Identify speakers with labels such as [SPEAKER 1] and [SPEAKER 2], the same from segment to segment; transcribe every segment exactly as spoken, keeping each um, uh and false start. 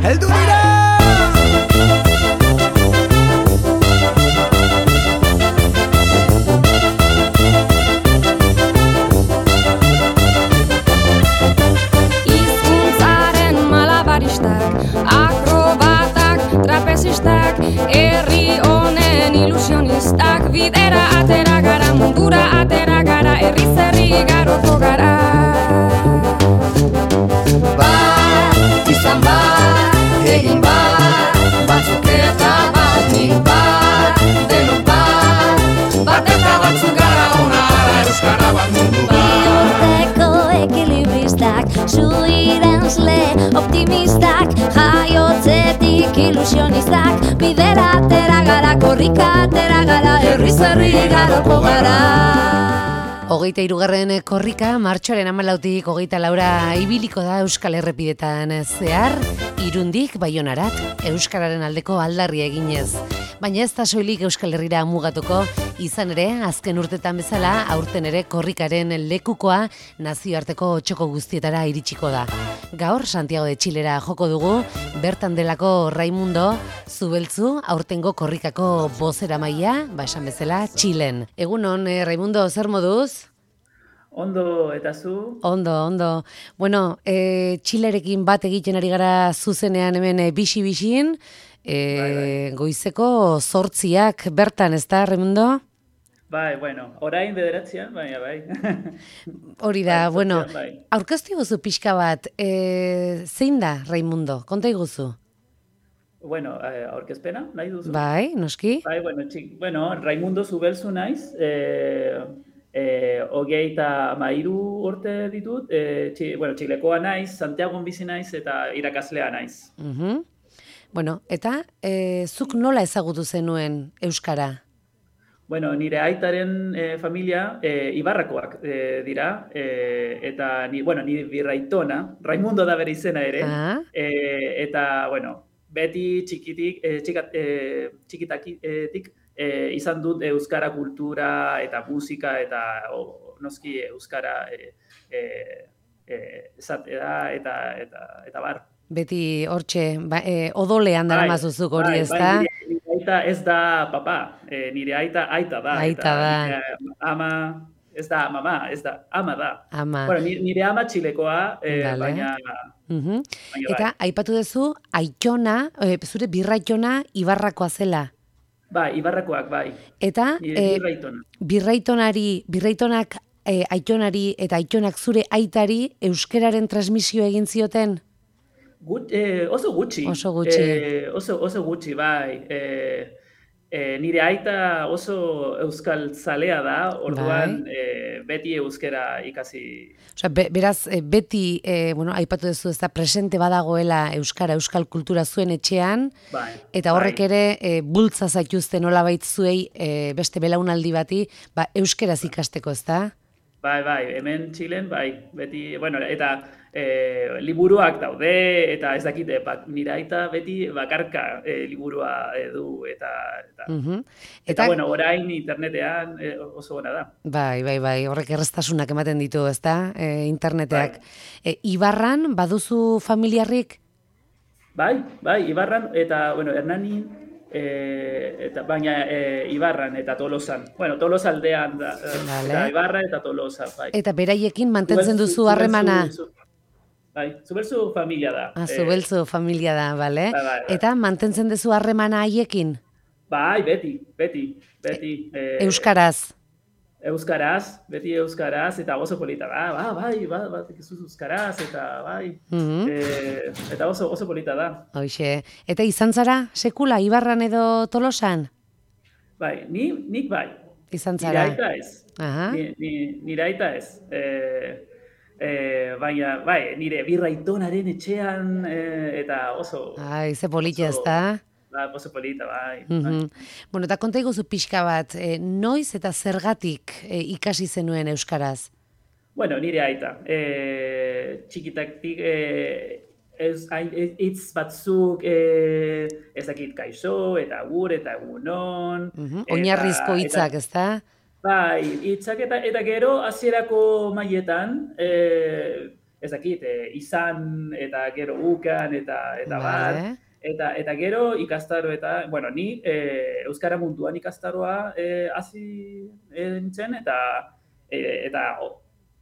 [SPEAKER 1] heldu dira!
[SPEAKER 2] Hizkuntzaren malabaristak, akrobatak, trapezistak, herri honen ilusionistak, bidera atera gara, mundura atera gara, herri zerri garoko gara. Bat, izan bat, egin bat, batzuk eta bat, nik bat, denok bat, bat eta batzuk gara ona ara, euskara bat mundu bat.
[SPEAKER 3] Bihotzeko ekilibristak, zuirenzle optimistak, jaiotzetik ilusionistak, bidera atera gara, korrika atera gara, herri zerri garoko gara.
[SPEAKER 4] Hogeita hirugarren korrika, martxoaren hamalautik hogeita laura ibiliko da Euskal Errepidetan zehar, Irundik Baionarat, euskararen aldeko aldarria eginez. Baina ez da soilik Euskal Herrira mugatuko, izan ere, azken urtetan bezala, aurten ere korrikaren lekukoa nazioarteko txoko guztietara iritsiko da. Gaur, Santiago de Txilera joko dugu, bertan delako Raimundo Zubeltzu, aurtengo korrikako bozera maila, ba esan bezala, Txilen. Egunon, eh, Raimundo, zer moduz?
[SPEAKER 5] Ondo, eta zu?
[SPEAKER 4] Ondo, ondo. Bueno, e, Txilerekin bat egiten ari gara zuzenean hemen e, bixi-bixin, e, bai, bai. Goizeko zortziak bertan, ez da, Raimundo?
[SPEAKER 5] Bai, bueno, orain bederatzean, baina bai.
[SPEAKER 4] Hori da,
[SPEAKER 5] bai,
[SPEAKER 4] bueno,
[SPEAKER 5] bai.
[SPEAKER 4] aurkeztu iguzu pixka bat, e, zein da, Raimundo? Konta iguzu?
[SPEAKER 5] Bueno, eh, aurkezpena, nahi duzu?
[SPEAKER 4] Bai, noski?
[SPEAKER 5] Bai, bueno, txik, bueno, Raimundo Zubeltzu naiz, eh, eh, hogeita mairu urte ditut, eh, txi, bueno, Txilekoa naiz, Santiagon bizi naiz eta irakaslea naiz.
[SPEAKER 4] Uh-huh. Bueno, eta e, zuk nola ezagutu zenuen euskara?
[SPEAKER 5] Bueno, nire aitaren eh, familia eh, Ibarrakoak eh, dira, eh, eta ni, bueno, nire birraitona, Raimundo da bere izena ere,
[SPEAKER 4] Ah.
[SPEAKER 5] eh, eta, bueno, beti txikitik, eh, txikat, eh, txikitatik eh, izan dut euskara kultura eta musika eta o, noski euskara eh, eh, eh, esatea eta, eta, eta bar.
[SPEAKER 4] Beti hortxe, ba, e, odolean dara mazuzuk hori,
[SPEAKER 5] bai,
[SPEAKER 4] ez da?
[SPEAKER 5] Bai, nire, nire aita ez da papa, e, nire aita aita da.
[SPEAKER 4] Aita da.
[SPEAKER 5] Nire ama, ez da mama, ez da, ama da.
[SPEAKER 4] Ama.
[SPEAKER 5] Bueno, nire, nire ama txilekoa, e,
[SPEAKER 4] Vale.
[SPEAKER 5] baina...
[SPEAKER 4] Uh-huh.
[SPEAKER 5] baina
[SPEAKER 4] Eta
[SPEAKER 5] bai.
[SPEAKER 4] aipatu duzu, aitona, e, zure birraitona Ibarrakoa zela.
[SPEAKER 5] Bai, Ibarrakoak, bai.
[SPEAKER 4] Eta
[SPEAKER 5] Nire
[SPEAKER 4] e,
[SPEAKER 5] birraitona.
[SPEAKER 4] birraitonari, birraitonak e, aitonari eta aitonak zure aitari euskeraren transmisio egin zioten?
[SPEAKER 5] Gut, eh, oso gutxi.
[SPEAKER 4] Oso gutxi.
[SPEAKER 5] Eh, oso, oso gutxi, bai. Eh, eh, nire aita oso euskal zalea da, orduan
[SPEAKER 4] Bai.
[SPEAKER 5] eh, beti euskera ikasi.
[SPEAKER 4] Osea, be, beraz, e, beti, e, bueno, aipatu duzu ez da, presente badagoela euskara, euskal kultura zuen etxean,
[SPEAKER 5] Bai.
[SPEAKER 4] eta horrek
[SPEAKER 5] bai.
[SPEAKER 4] ere e, bultza zaituzte nolabait zuei e, beste belaunaldi bati, ba, euskeraz ikasteko, ez da?
[SPEAKER 5] Bai, bai, hemen Txilen, bai, beti, bueno, eta e, liburuak daude, eta ez dakit, e, bak, nire aita beti bakarka e, liburua e, du, eta, eta,
[SPEAKER 4] Uh-huh.
[SPEAKER 5] eta,
[SPEAKER 4] Eta,
[SPEAKER 5] bueno, orain internetean e, oso ona da.
[SPEAKER 4] bai, bai, bai, horrek erreztasunak ematen ditu, ez da, e, interneteak.
[SPEAKER 5] Bai.
[SPEAKER 4] E, Ibarran, baduzu familiarrik?
[SPEAKER 5] Bai, bai, Ibarran, eta, bueno, Hernanin, e, eta, baina e, Ibarran eta Tolosan. Bueno, Tolosa aldean da, e,
[SPEAKER 4] Vale.
[SPEAKER 5] eta Ibarra eta Tolosa, bai.
[SPEAKER 4] Eta beraiekin mantentzen
[SPEAKER 5] Zubeltzu-
[SPEAKER 4] duzu harremana?
[SPEAKER 5] Zubeltzu- Bai, Zubeltzu familia da.
[SPEAKER 4] Ah,
[SPEAKER 5] Eh,
[SPEAKER 4] Zubeltzu familia da, bale?
[SPEAKER 5] Bai, bai, bai.
[SPEAKER 4] Eta mantentzen duzu harremana haiekin?
[SPEAKER 5] Bai, beti, beti, beti. eh,
[SPEAKER 4] Euskaraz?
[SPEAKER 5] Euskaraz, beti euskaraz, eta oso polita da, ba, bai, ba, ba, tekizuz euskaraz, eta bai,
[SPEAKER 4] Mhm.
[SPEAKER 5] eh, eta oso, oso polita da.
[SPEAKER 4] Hoxe. Eta izan zara, sekula, Ibarran edo Tolosan?
[SPEAKER 5] Bai, ni, nik bai,
[SPEAKER 4] Izan
[SPEAKER 5] nire
[SPEAKER 4] zara.
[SPEAKER 5] aita ez,
[SPEAKER 4] Aha.
[SPEAKER 5] ni, ni, nire aita ez, eh, eh, baina, bai, nire birraitonaren etxean, eh, eta oso,
[SPEAKER 4] Ai, ze politia ez
[SPEAKER 5] oso-
[SPEAKER 4] da?
[SPEAKER 5] ba, oso polita, bai. bai.
[SPEAKER 4] Mhm. Bueno, eta konta iguzu pixka bat, e, noiz eta zergatik e, ikasi zenuen euskaraz?
[SPEAKER 5] Bueno, nire aita, eh, txikitaktik, eh, ez, hain- ez- hitz batzuk eh, ez dakit kaixo, eta agur, eta egunon.
[SPEAKER 4] Mhm.
[SPEAKER 5] eta-
[SPEAKER 4] Oinarrizko hitzak,
[SPEAKER 5] eta-
[SPEAKER 4] ez da?
[SPEAKER 5] Bai, hitzak eta, eta gero hasierako mailetan, eh, ezakit, e, izan eta gero ukan eta eta bar.
[SPEAKER 4] Vale.
[SPEAKER 5] Eta, eta gero ikastaro eta, bueno, ni e, Euskara munduan ikastaroa e, hasi e, nintzen eta e, eta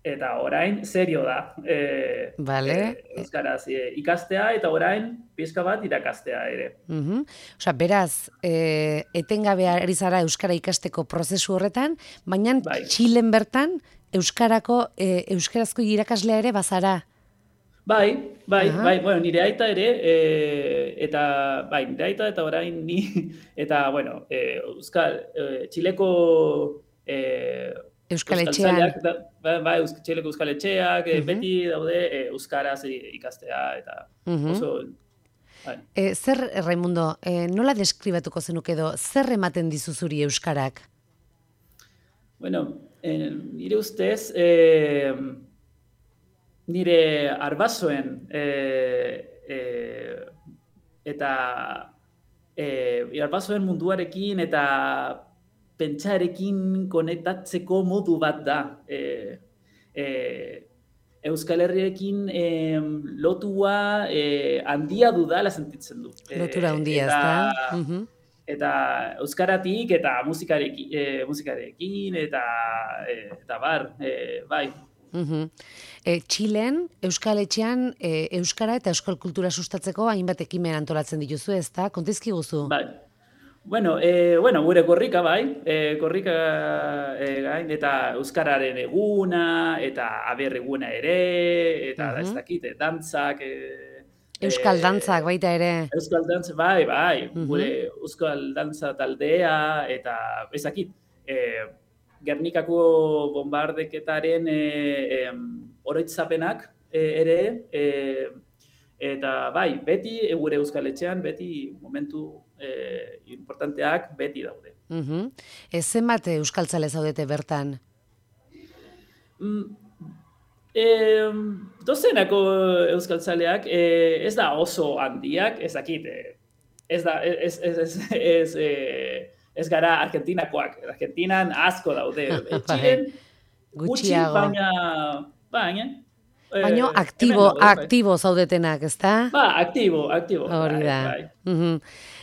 [SPEAKER 5] eta orain serio da. E,
[SPEAKER 4] Vale.
[SPEAKER 5] e, Euskaraz e, ikastea eta orain pixka bat irakastea ere.
[SPEAKER 4] Mhm. Osea, beraz, e, etengabe ari zara Euskara ikasteko prozesu horretan, baina
[SPEAKER 5] Bai.
[SPEAKER 4] Txilen bertan Euskarako, e, Euskarazko irakaslea ere bazara.
[SPEAKER 5] Bai, bai,
[SPEAKER 4] Aha.
[SPEAKER 5] bai, bueno, nire aita ere, e, eta, bai, nire aita eta orain ni, eta, bueno, e, Euskal, e, Txileko e,
[SPEAKER 4] Euskaletxean.
[SPEAKER 5] Euskaltzaleak da- Bai, bai, Eusk- Txileko Euskaletxeak, e,
[SPEAKER 4] Mhm.
[SPEAKER 5] beti daude e, Euskaraz ikastea, eta
[SPEAKER 4] Mhm.
[SPEAKER 5] oso, bai.
[SPEAKER 4] E, zer, Raimundo, e, nola deskribatuko zenuk edo, zer ematen dizu zuri Euskarak?
[SPEAKER 5] Bueno, e, nire ustez, e, nire arbasoen e, e, eta e, arbasoen munduarekin eta pentsarekin konektatzeko modu bat da. E, e, Euskal Herriarekin e, lotua e, handia dudala sentitzen du. E,
[SPEAKER 4] Lotura handia,
[SPEAKER 5] eta-
[SPEAKER 4] ezta? Mhm.
[SPEAKER 5] Eta euskaratik eta musikarekin, e, musikarekin eta e, eta bar, e, bai.
[SPEAKER 4] Mhm. E, Txilen, Euskal Etxean, e, Euskara eta Euskal Kultura sustatzeko hainbat ekimen antolatzen dituzu, ezta? Kontizkiguzu.
[SPEAKER 5] Bai. Bueno, e, bueno, gure korrika bai, e, korrika e, gain, eta euskararen eguna, eta aber eguna ere, eta
[SPEAKER 4] Mhm.
[SPEAKER 5] ez dakit, e, dantzak, e,
[SPEAKER 4] Euskal
[SPEAKER 5] e,
[SPEAKER 4] dantzak baita ere.
[SPEAKER 5] Euskal dantza, bai, bai,
[SPEAKER 4] Mhm.
[SPEAKER 5] gure Euskal dantza taldea, eta ezakit, e, Gernikako bombardeketaren e, em, oroitzapenak e, ere, e, eta bai, beti e, gure Euskal Etxean, beti momentu e, importanteak beti daude.
[SPEAKER 4] Mhm. E, zenbat euskaltzale zaudete bertan?
[SPEAKER 5] Mm, e, dozenako euskaltzaleak e, ez da oso handiak, ez dakit, e, ez da, ez, ez, ez, ez, e, ez gara Argentinakoak, Argentinan asko daude, e, Txilen gutxi,
[SPEAKER 4] Gutxiago.
[SPEAKER 5] baina, baina, e,
[SPEAKER 4] Baino
[SPEAKER 5] hemen
[SPEAKER 4] aktibo,
[SPEAKER 5] daude, bai.
[SPEAKER 4] aktibo zaudetenak, ezta?
[SPEAKER 5] Ba, aktibo, aktibo.
[SPEAKER 4] Hori
[SPEAKER 5] bai,
[SPEAKER 4] da.
[SPEAKER 5] bai.
[SPEAKER 4] Mhm.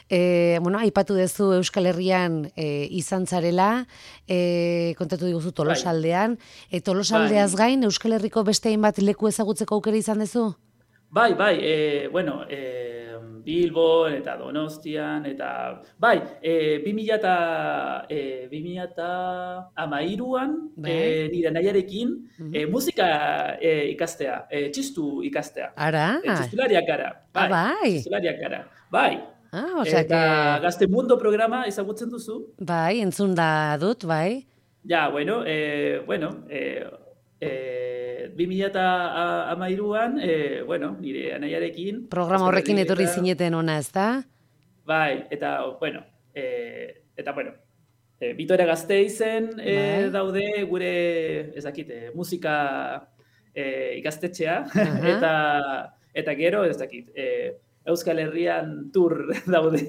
[SPEAKER 4] E, bueno, aipatu duzu Euskal Herrian e, izan zarela, e, kontatu diguzu Tolosaldean, e, Tolosaldeaz gain Euskal Herriko beste hainbat leku ezagutzeko aukera izan duzu?
[SPEAKER 5] Bai, bai, e, bueno, e, Bilbon eta Donostian, eta, bai, e, bi mila eta, e, bi mila eta hamairuan,
[SPEAKER 4] Bai.
[SPEAKER 5] e, nire nahiarekin,
[SPEAKER 4] Mhm.
[SPEAKER 5] e, musika e, ikastea, e, txistu ikastea.
[SPEAKER 4] Ara?
[SPEAKER 5] E, txistulariak gara, bai,
[SPEAKER 4] Ah, bai.
[SPEAKER 5] txistulariak gara, bai.
[SPEAKER 4] Ah, osea
[SPEAKER 5] Eta
[SPEAKER 4] que,
[SPEAKER 5] Gaztemundo programa ezagutzen duzu?
[SPEAKER 4] bai, entzun da dut, bai.
[SPEAKER 5] Ja, bueno, eh, bueno, eh, eh, bi mila eta hamairuan, eh, bueno, nire anaiarekin...
[SPEAKER 4] Programa
[SPEAKER 5] Euskal
[SPEAKER 4] horrekin
[SPEAKER 5] Herri
[SPEAKER 4] etorri
[SPEAKER 5] eta-
[SPEAKER 4] zineten ona, ezta?
[SPEAKER 5] Bai, eta, bueno, eh, eta, bueno, eh, Vitoria Gasteizen eh,
[SPEAKER 4] Bai.
[SPEAKER 5] daude gure, ez dakit, eh, musika eh, ikastetxea,
[SPEAKER 4] Aha.
[SPEAKER 5] eta, eta gero, ez dakit, eh, Euskal Herrian tour daude.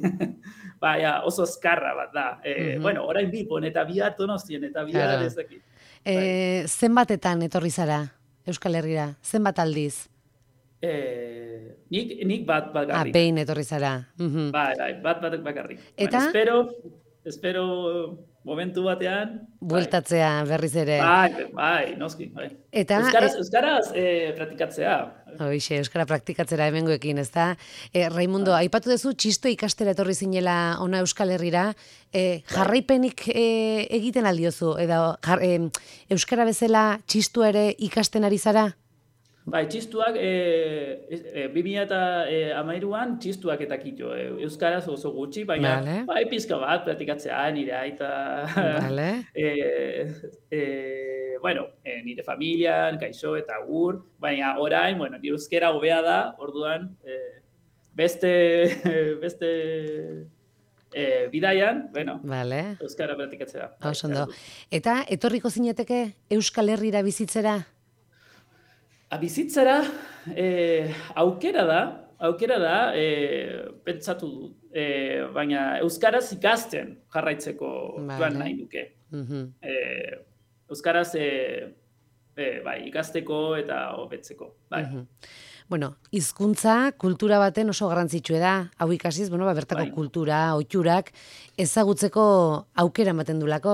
[SPEAKER 5] Baina oso azkarra bat da. Eh,
[SPEAKER 4] Mhm.
[SPEAKER 5] Bueno, orain Bilbon eta bihar Donostien eta bihar
[SPEAKER 4] Claro.
[SPEAKER 5] ez dakit.
[SPEAKER 4] E, zenbatetan etorri zara Euskal Herrira? Zenbat aldiz?
[SPEAKER 5] Eh, nik, nik bat
[SPEAKER 4] Ah,
[SPEAKER 5] bakarrik.
[SPEAKER 4] behin etorri zara. Mhm.
[SPEAKER 5] Bai, bai, bat bat bakarrik.
[SPEAKER 4] Eta?
[SPEAKER 5] Bueno, espero, espero momentu batean. bai.
[SPEAKER 4] Bueltatzea berriz ere.
[SPEAKER 5] Bai, bai, noski, bai.
[SPEAKER 4] Eta,
[SPEAKER 5] Euskaraz,
[SPEAKER 4] e-
[SPEAKER 5] euskaraz eh, praktikatzea.
[SPEAKER 4] Hoixe, euskara praktikatzera hemengoekin, ezta? E, Raimundo, aipatu duzu txisto ikastera etorri zinela ona Euskal Herrira, e, jarraipenik e, egiten aldiozu, edo jar, e, euskara bezala txistua ere ikasten ari zara?
[SPEAKER 5] Bai, txistuak, e, e, bi mila eta hamairuan txistuak eta kito. E, euskaraz oso gutxi, baina
[SPEAKER 4] Vale.
[SPEAKER 5] bai, pizka bat praktikatzea nire aita.
[SPEAKER 4] Vale.
[SPEAKER 5] e, e, bueno, e, nire familian, kaixo eta gur, baina orain, bueno, nire euskera hobea da, orduan, e, beste, beste e, bidaian, bueno,
[SPEAKER 4] Vale.
[SPEAKER 5] euskara praktikatzea. Bai,
[SPEAKER 4] Oso ondo.
[SPEAKER 5] behar dut.
[SPEAKER 4] Eta etorriko zineteke Euskal Herrira bizitzera?
[SPEAKER 5] A bizitzara, eh, aukera da, aukera da, eh, pentsatu dut, eh, baina euskaraz ikasten jarraitzeko
[SPEAKER 4] Vale.
[SPEAKER 5] joan nahi duke.
[SPEAKER 4] Mhm.
[SPEAKER 5] Eh, euskaraz, eh, e, bai, ikasteko eta hobetzeko, bai.
[SPEAKER 4] Mhm. Bueno, hizkuntza kultura baten oso garrantzitsua da. Hau ikasiz, bueno, ba, bertako
[SPEAKER 5] Bai.
[SPEAKER 4] kultura, ohiturak ezagutzeko aukera ematen dulako.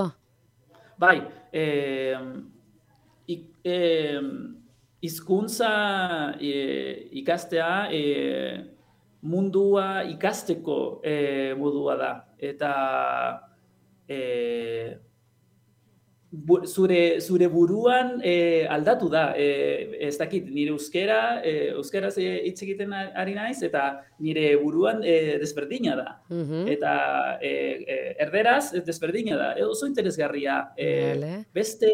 [SPEAKER 5] Bai, eh, ik, eh, hizkuntza eh, ikastea eh, mundua ikasteko eh, modua da. Eta eh, bu, zure, zure buruan eh, aldatu da. Eh, ez dakit, nire euskera, eh, euskaraz eh, hitz egiten ari naiz, eta nire buruan eh, desberdina da.
[SPEAKER 4] Mhm.
[SPEAKER 5] Eta eh, eh, erderaz desberdina da. E, oso interesgarria. Eh,
[SPEAKER 4] Vale.
[SPEAKER 5] beste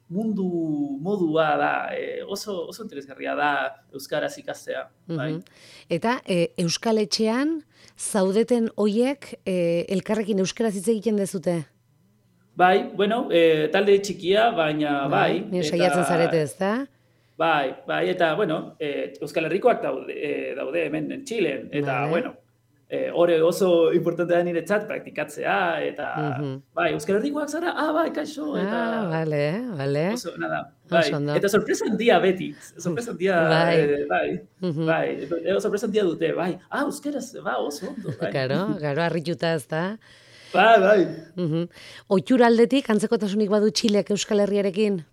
[SPEAKER 5] mundu modua da. Eh, oso, oso interesgarria da euskaraz ikastea. Bai.
[SPEAKER 4] Mhm. Eta e, Euskal Etxean zaudeten hoiek e, elkarrekin euskaraz hitz egiten dezute?
[SPEAKER 5] Bai, bueno, eh, talde txikia, baina bai.
[SPEAKER 4] Ni saiatzen zarete, ezta?
[SPEAKER 5] Bai, bai, eta, bueno, eh, Euskal Herrikoak daude, eh, daude hemen Txilen, eta,
[SPEAKER 4] Vale.
[SPEAKER 5] bueno, eh, hore oso importante da niretzat praktikatzea, eta,
[SPEAKER 4] Mhm.
[SPEAKER 5] bai, Euskal Herrikoak zara, ah, bai, kaixo, eta,
[SPEAKER 4] Ah, vale, vale.
[SPEAKER 5] oso, nada, bai,
[SPEAKER 4] Oso ondo.
[SPEAKER 5] eta sorpresa handia beti, sorpresa handia,
[SPEAKER 4] Bai.
[SPEAKER 5] eh, bai,
[SPEAKER 4] Mhm.
[SPEAKER 5] bai, eh, sorpresa handia dute, bai, ah, euskeraz, ba, oso ondo, bai.
[SPEAKER 4] Claro, claro, harrituta, ezta?
[SPEAKER 5] Bai, bai.
[SPEAKER 4] Mhm. Ohitura aldetik antzekotasunik badu Txilek Euskal Herriarekin?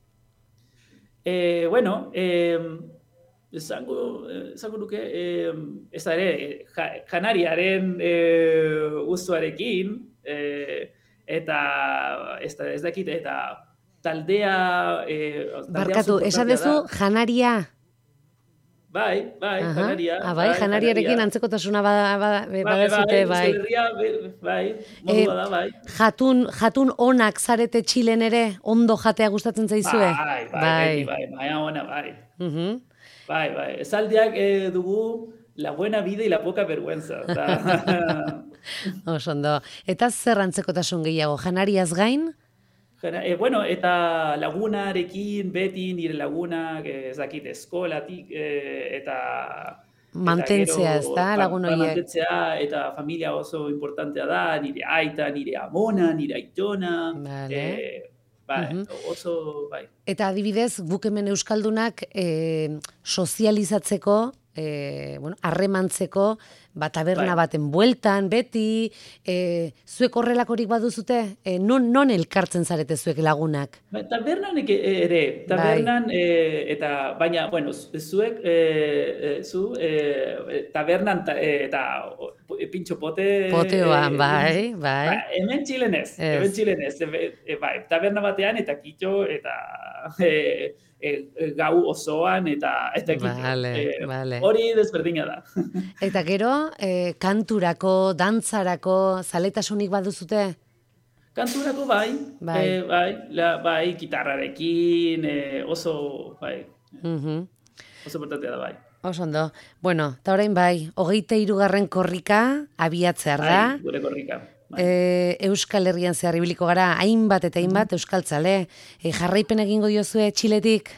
[SPEAKER 5] Eh, bueno, eh, esango, esango nuke, eh, ez da ere, ja, janariaren eh, gustuarekin, eh, eta ez, da, ez dakit, eta taldea... Eh, taldea
[SPEAKER 4] Barkatu,
[SPEAKER 5] oso
[SPEAKER 4] esan
[SPEAKER 5] importantea
[SPEAKER 4] dezu
[SPEAKER 5] da.
[SPEAKER 4] janaria.
[SPEAKER 5] Bai, bai,
[SPEAKER 4] Aha.
[SPEAKER 5] janaria.
[SPEAKER 4] Ah, bai, janariarekin
[SPEAKER 5] janaria.
[SPEAKER 4] antzekotasuna bada, bada,
[SPEAKER 5] Bai,
[SPEAKER 4] badazute,
[SPEAKER 5] bai,
[SPEAKER 4] bai.
[SPEAKER 5] Euskal Herria, be- bai, modua da, bai.
[SPEAKER 4] Jatun, jatun onak zarete Txilen ere, ondo jatea gustatzen zaizue?
[SPEAKER 5] Bai, bai, beti, bai, maia ona, bai.
[SPEAKER 4] Mhm.
[SPEAKER 5] Bai, bai, esaldiak eh, dugu la buena vida y la poca vergüenza. Da.
[SPEAKER 4] Oso ondo. Eta zer antzekotasun gehiago, janariaz gain?
[SPEAKER 5] Jana- eh, bueno, eta lagunarekin, beti nire lagunak, eh, ez dakit, eskolatik, eh, eta...
[SPEAKER 4] Mantentzea,
[SPEAKER 5] eta gero,
[SPEAKER 4] ezta,
[SPEAKER 5] ba-
[SPEAKER 4] lagun
[SPEAKER 5] ba-
[SPEAKER 4] horiek?
[SPEAKER 5] Mantentzea, eta familia oso importantea da, nire aita, nire amona, nire aitona.
[SPEAKER 4] Vale.
[SPEAKER 5] Eh, bai,
[SPEAKER 4] Mhm.
[SPEAKER 5] oso, bai.
[SPEAKER 4] Eta adibidez, guk hemen Euskaldunak e, sozializatzeko, e, bueno, harremantzeko, ba, taberna
[SPEAKER 5] Bai.
[SPEAKER 4] baten bueltan, beti, e, zuek horrelakorik baduzute? E, non, non elkartzen zarete zuek lagunak?
[SPEAKER 5] Ba, tabernan eke- ere, tabernan, eh, eta, baina, bueno, zu- zuek, eh, eh, zu, eh, tabernan ta, eh, eta o, pintxo pote...
[SPEAKER 4] Poteoan,
[SPEAKER 5] eh,
[SPEAKER 4] bai, bai.
[SPEAKER 5] Ba, hemen Txilen ez,
[SPEAKER 4] Ez.
[SPEAKER 5] hemen Txilen ez, e, e, bai, taberna batean eta kitxo, eta e, e, e, gau osoan, eta eta kitxo.
[SPEAKER 4] Vale,
[SPEAKER 5] Eh,
[SPEAKER 4] vale.
[SPEAKER 5] Hori desberdina da.
[SPEAKER 4] Eta gero, e, kanturako, dantzarako, zaletasunik baduzute?
[SPEAKER 5] Kanturako bai,
[SPEAKER 4] Bai.
[SPEAKER 5] eh, bai, la, bai, gitarrarekin, eh, oso, bai,
[SPEAKER 4] Mhm.
[SPEAKER 5] oso importantea da, bai.
[SPEAKER 4] Oso ondo. Bueno, eta orain bai, hogeita hirugarren korrika abiatzear da.
[SPEAKER 5] Bai, gure korrika. Bai.
[SPEAKER 4] E, Euskal Herrian zehar ibiliko gara, hainbat eta hainbat euskaltzale. E, jarraipen egingo diozue Txiletik?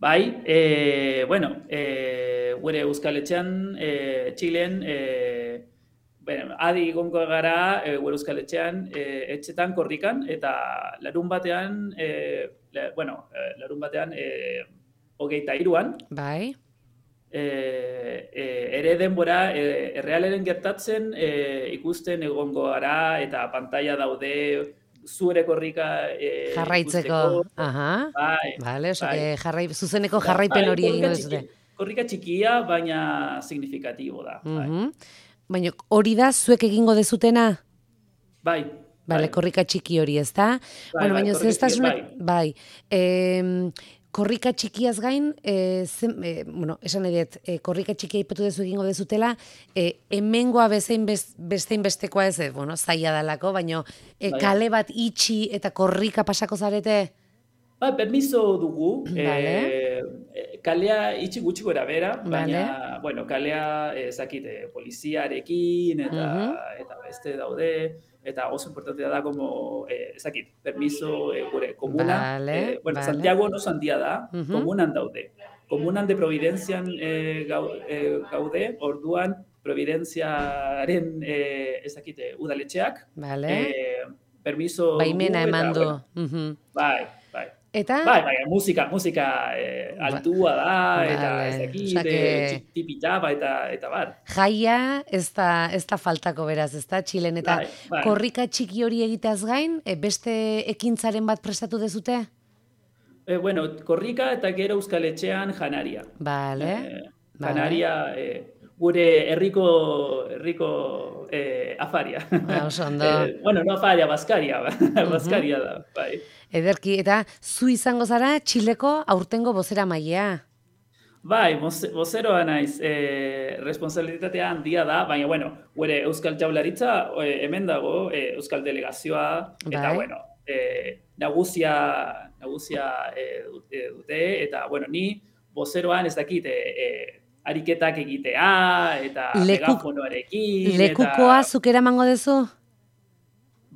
[SPEAKER 5] Bai, e, bueno, e, gure Euskal Etxean, e, Txilen, e, bueno, adi gongo gara e, gure Euskal Etxean, e, etxetan korrikan, eta larun batean, e, la, bueno, e, larun batean, e, hogeita hiruan,
[SPEAKER 4] Bai.
[SPEAKER 5] e, e, ere denbora, e, errealeren gertatzen e, ikusten egongo gara, eta pantalla daude zure korrika e,
[SPEAKER 4] Jarraitzeko.
[SPEAKER 5] ikusteko.
[SPEAKER 4] Aha.
[SPEAKER 5] Bai,
[SPEAKER 4] Vale, oso,
[SPEAKER 5] bai.
[SPEAKER 4] e, jarrai, zuzeneko jarraipen
[SPEAKER 5] Bai,
[SPEAKER 4] hori egingo
[SPEAKER 5] korrika
[SPEAKER 4] duzute.
[SPEAKER 5] txiki- Korrika txikia, baina signifikatibo da. Bai,
[SPEAKER 4] Mhm. Baina hori da zuek egingo dezutena?
[SPEAKER 5] bai.
[SPEAKER 4] Bale,
[SPEAKER 5] bai.
[SPEAKER 4] korrika txiki hori, ezta?
[SPEAKER 5] Bai,
[SPEAKER 4] Bueno,
[SPEAKER 5] bai,
[SPEAKER 4] baina
[SPEAKER 5] korrika
[SPEAKER 4] zehaztasunak,
[SPEAKER 5] txikia,
[SPEAKER 4] bai. Em, korrika txikiaz gain, e, zen, e, bueno, esan nahi dut, e, korrika txikia ipatu dezu egingo dezutela, e, hemengoa bezein best, bestein bestekoa ez, e, bueno, zaila dalako, baina e,
[SPEAKER 5] Bai.
[SPEAKER 4] kale bat itxi eta korrika pasako zarete?
[SPEAKER 5] Bai, permiso dugu.
[SPEAKER 4] Vale.
[SPEAKER 5] eh, kalea itxi gutxi gora bera, baina,
[SPEAKER 4] Vale.
[SPEAKER 5] bueno, kalea ezakite poliziarekin eta,
[SPEAKER 4] Mhm.
[SPEAKER 5] eta beste daude, eta oso importantea da, como, eh, ezakit, permiso eh, gure komuna.
[SPEAKER 4] Vale,
[SPEAKER 5] eh, bueno,
[SPEAKER 4] vale.
[SPEAKER 5] Santiago oso handia da,
[SPEAKER 4] Mhm.
[SPEAKER 5] komunan daude. Komunan de Providencian eh, gau, eh, gaude, orduan Providenciaren eh, ezakite udaletxeak,
[SPEAKER 4] Vale?
[SPEAKER 5] eh, permiso
[SPEAKER 4] Baimena
[SPEAKER 5] dugu, eta,
[SPEAKER 4] eman du.
[SPEAKER 5] bueno,
[SPEAKER 4] Mhm.
[SPEAKER 5] bai, bai.
[SPEAKER 4] Eta?
[SPEAKER 5] Bai, bai, musika, musika eh, altua da,
[SPEAKER 4] Vale.
[SPEAKER 5] eta ez dakit,
[SPEAKER 4] Osea que-
[SPEAKER 5] tipitapa eta, eta bar.
[SPEAKER 4] Jaia ez da, ez da faltako beraz, ez da, Txilen. Eta
[SPEAKER 5] Bai, bai.
[SPEAKER 4] korrika txiki hori egiteaz gain, e, beste ekintzaren bat prestatu dezute?
[SPEAKER 5] E, bueno, korrika eta gero Euskal Etxean janaria.
[SPEAKER 4] Bale.
[SPEAKER 5] Eh,
[SPEAKER 4] Vale.
[SPEAKER 5] janaria, eh, gure herriko herriko eh, afaria.
[SPEAKER 4] Ba, oso ondo.
[SPEAKER 5] Eh, bueno, no afaria, Baskaria, Baskaria da, bai.
[SPEAKER 4] Ederki, eta zu izango zara Txileko aurtengo bozera mailea.
[SPEAKER 5] Bai, moze- bozeroa naiz, eh, responsabilitatea handia da, baina, bueno, gure Euskal Jaurlaritza eh, hemen dago, eh, Euskal Delegazioa, eta,
[SPEAKER 4] Bai.
[SPEAKER 5] bueno, eh, nagusia, nagusia eh, dute, dute, eta, bueno, ni bozeroan ez dakit, eh, eh, ariketak egitea, eta
[SPEAKER 4] Leku-
[SPEAKER 5] megafonoarekin,
[SPEAKER 4] Lekukoa
[SPEAKER 5] eta...
[SPEAKER 4] zuk eramango dezu?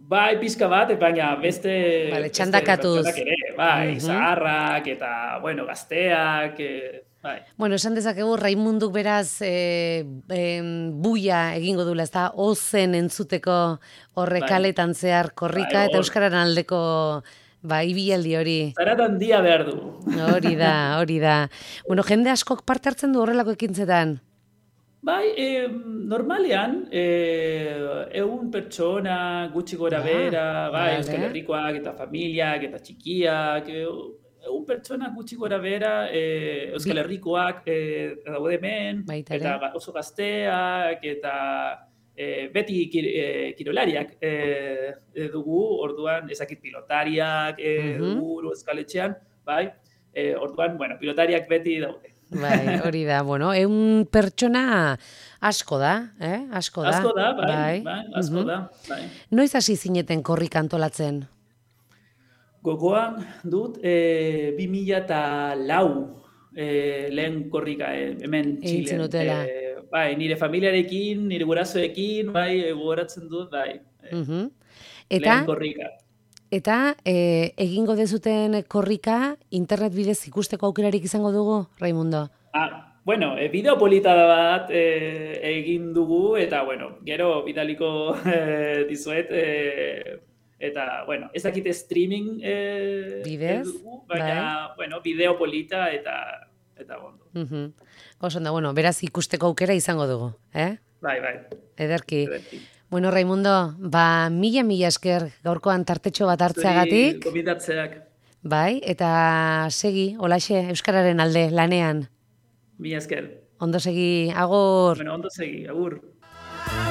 [SPEAKER 5] Bai, pixka bat, baina beste...
[SPEAKER 4] Vale,
[SPEAKER 5] beste
[SPEAKER 4] txandakatuz.
[SPEAKER 5] pertsonak ere, bai,
[SPEAKER 4] Mhm.
[SPEAKER 5] zaharrak, eta, bueno, gazteak, eh, bai.
[SPEAKER 4] Bueno, esan dezakegu Raimunduk beraz e, e, buia egingo dula, ez da, ozen entzuteko horre
[SPEAKER 5] Bai.
[SPEAKER 4] kaletan zehar korrika
[SPEAKER 5] Bai,
[SPEAKER 4] eta
[SPEAKER 5] hor.
[SPEAKER 4] euskararen aldeko ba, ibialdi hori.
[SPEAKER 5] Zaratan dia behar du.
[SPEAKER 4] Hori da, hori da. Bueno, jende askok parte hartzen du horrelako ekintzetan.
[SPEAKER 5] Bai, eh, normalean, eh, egun pertsona, gutxi gora
[SPEAKER 4] Ah,
[SPEAKER 5] bera, bai,
[SPEAKER 4] vale.
[SPEAKER 5] Euskal Herrikoak, eta familiak, eta txikiak, eh, egun pertsona gutxi gora bera, eh, Euskal
[SPEAKER 4] Bi-
[SPEAKER 5] Herrikoak eh, daude hemen,
[SPEAKER 4] Baita ere.
[SPEAKER 5] eta ga- oso gazteak, eta eh, beti kir, eh, kirolariak eh, eh, dugu, orduan, ezakit pilotariak eh,
[SPEAKER 4] Mhm.
[SPEAKER 5] dugu Euskal Etxean, bai, eh, orduan, bueno, pilotariak beti daude.
[SPEAKER 4] Bai, hori da, bueno, eun pertsona asko da, eh? Asko da.
[SPEAKER 5] Asko da, bai, bai, asko
[SPEAKER 4] Mhm.
[SPEAKER 5] da, bai.
[SPEAKER 4] Noiz hasi zineten korrika antolatzen?
[SPEAKER 5] Gogoan dut, e, bi mila eta lau e, lehen korrika e, hemen
[SPEAKER 4] Egin
[SPEAKER 5] Txilen.
[SPEAKER 4] zenutela.
[SPEAKER 5] E, bai, nire familiarekin, nire gurasoekin, bai, e, gogoratzen dut, bai. E,
[SPEAKER 4] Mhm. Eta,
[SPEAKER 5] lehen korrika.
[SPEAKER 4] eta e, egingo dezuten korrika internet bidez ikusteko aukerarik izango dugu, Raimundo?
[SPEAKER 5] Ah, bueno, e, bideo polita da bat e, egin dugu, eta, bueno, gero bidaliko e, dizuet, e, eta, bueno, ez dakite streaming e,
[SPEAKER 4] Bidez,
[SPEAKER 5] dugu, baina, bueno, bideo polita eta, eta ondo.
[SPEAKER 4] Mhm. Oso ondo, bueno, beraz ikusteko aukera izango dugu, eh?
[SPEAKER 5] Bai, bai.
[SPEAKER 4] Ederki.
[SPEAKER 5] ederki.
[SPEAKER 4] Bueno, Raimundo, ba, mila mila esker gaurkoan tartetxo bat hartzeagatik,
[SPEAKER 5] Zuri gobidatzeak,
[SPEAKER 4] bai, eta segi, olaxe, Euskararen alde, lanean.
[SPEAKER 5] mila esker.
[SPEAKER 4] Ondo segi, agur.
[SPEAKER 5] Bueno, ondo segi, agur.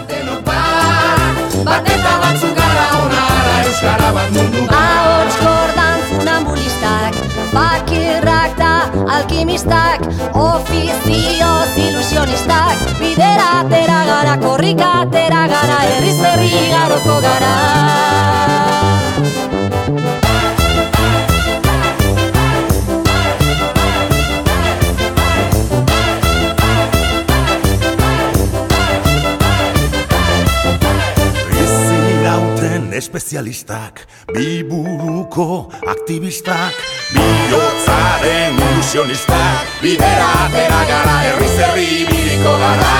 [SPEAKER 2] Denok bat, bat eta batzuk gara onara euskara bat mundu bat.
[SPEAKER 3] Ahots kordan funambulistak, bakirrak da alkimistak, ofizioz ilusionistak, bidera atera gara, korrika atera gara, herriz herri garoko gara.
[SPEAKER 1] Bizirauten espezialistak, biburuko aktivistak, bihotzaren ilusionistak, bidera atera gara, herriz herri ibiliko gara.